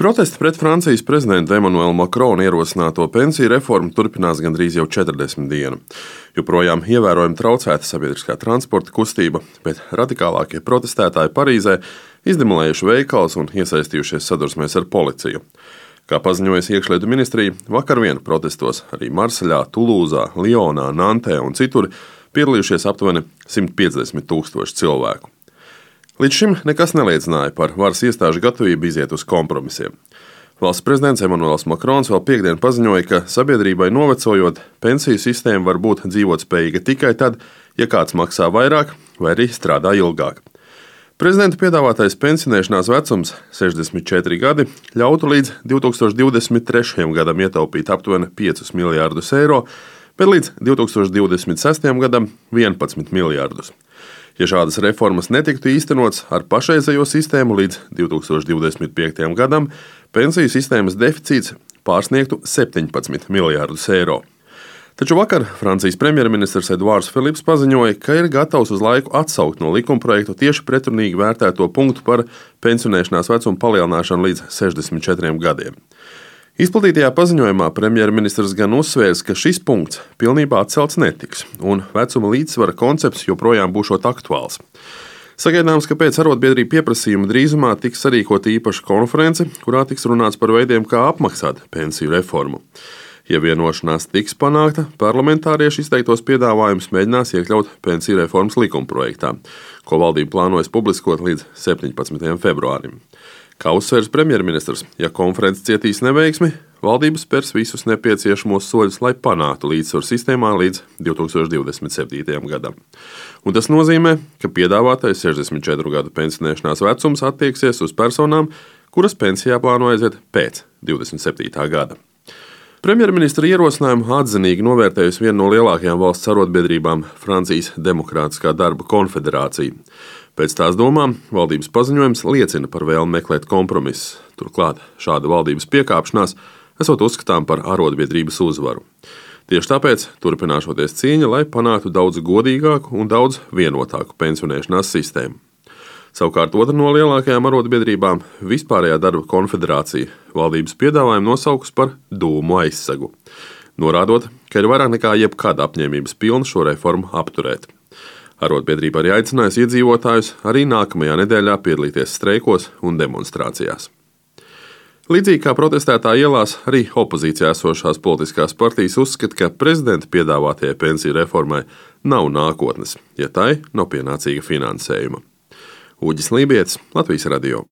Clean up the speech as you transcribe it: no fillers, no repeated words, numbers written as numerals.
Protesti pret Francijas prezidenta Emmanuela Macrona ierosināto pensiju reformu turpinās gandrīz jau 40 dienu. Joprojām ievērojami traucēta sabiedriskā transporta kustība, bet radikālākie protestētāji Parīzē izdemolējuši veikals un iesaistījušies sadursmēs ar policiju. Kā paziņojas iekšlietu ministrija, vakar vien protestos arī Marseļā, Tulūzā, Lionā, Nantē un citur piedalījušies aptuveni 150,000 cilvēku. Līdz šim nekas neliecināja par varas iestāžu gatavību iziet uz kompromisiem. Valsts prezidents Emmanuels Macrons vēl piektdien paziņoja, ka sabiedrībai novecojot, pensiju sistēma var būt dzīvotspējīga tikai tad, ja kāds maksā vairāk vai arī strādā ilgāk. Prezidenta piedāvātais pensionēšanās vecums, 64 gadi, ļautu līdz 2023. gadam ietaupīt aptuveni 5 miljārdus eiro, bet līdz 2026. gadam 11 miljārdus. Ja šādas reformas netiktu īstenotas ar pašreizējo sistēmu līdz 2025. gadam, pensiju sistēmas deficīts pārsniegtu 17 miljārdus eiro. Taču vakar Francijas premjerministrs Eduards Filips paziņoja, ka ir gatavs uz laiku atsaukt no likumprojektu tieši pretrunīgi vērtēto punktu par pensionēšanās vecumu palielināšanu līdz 64 gadiem. Izplatītajā paziņojumā premjerministrs gan uzsvērs, ka šis punkts pilnībā atcelts netiks, un vecuma līdzsvara koncepts joprojām būšot aktuāls. Sagaidāms, ka pēc arotbiedrību pieprasījuma drīzumā tiks sarīkota īpaša konference, kurā tiks runāts par veidiem, kā apmaksāt pensiju reformu. Ja vienošanās tiks panākta, parlamentārieši izteiktos piedāvājumus mēģinās iekļaut pensiju reformas likumprojektā, ko valdība plānojas publiskot līdz 17. februārim. Kā uzsvērs premjerministrs, ja konference cietīs neveiksmi, valdība spērs visus nepieciešamos soļus, lai panāktu līdzsvaru sistēmā līdz 2027. gadam. Un tas nozīmē, ka piedāvātais 64 gadu pensionēšanās vecums attieksies uz personām, kuras pensijā plāno aiziet pēc 27. gada. Premjerministra ierosinājumu atzinīgi novērtējusi viena no lielākajām valsts arotbiedrībām – Francijas Demokrātiskā darba konfederācija. Pēc tās domām valdības paziņojums liecina par vēlmi meklēt kompromisus. Turklāt šāda valdības piekāpšanās esot uzskatām par arotbiedrības uzvaru. Tieši tāpēc turpināšoties cīņa, lai panāktu daudz godīgāku un daudz vienotāku pensionēšanās sistēmu. Savukārt otra no lielākajām arotbiedrībām – Vispārējā darba konfederācija valdības piedāvājumu nosaukus par dūmu aizsegu, norādot, ka ir vairāk nekā jebkad apņēmības pilna šo reformu apturēt. Arotbiedrība arī aicinājusi iedzīvotājus arī nākamajā nedēļā piedalīties streikos un demonstrācijās. Līdzīgi kā protestētāji ielās, arī opozīcijā esošās politiskās partijas uzskata, ka prezidenta piedāvātajai pensiju reformai nav nākotnes, ja tai nav pienācīga finansējuma. Uģis Lībietis, Latvijas radio.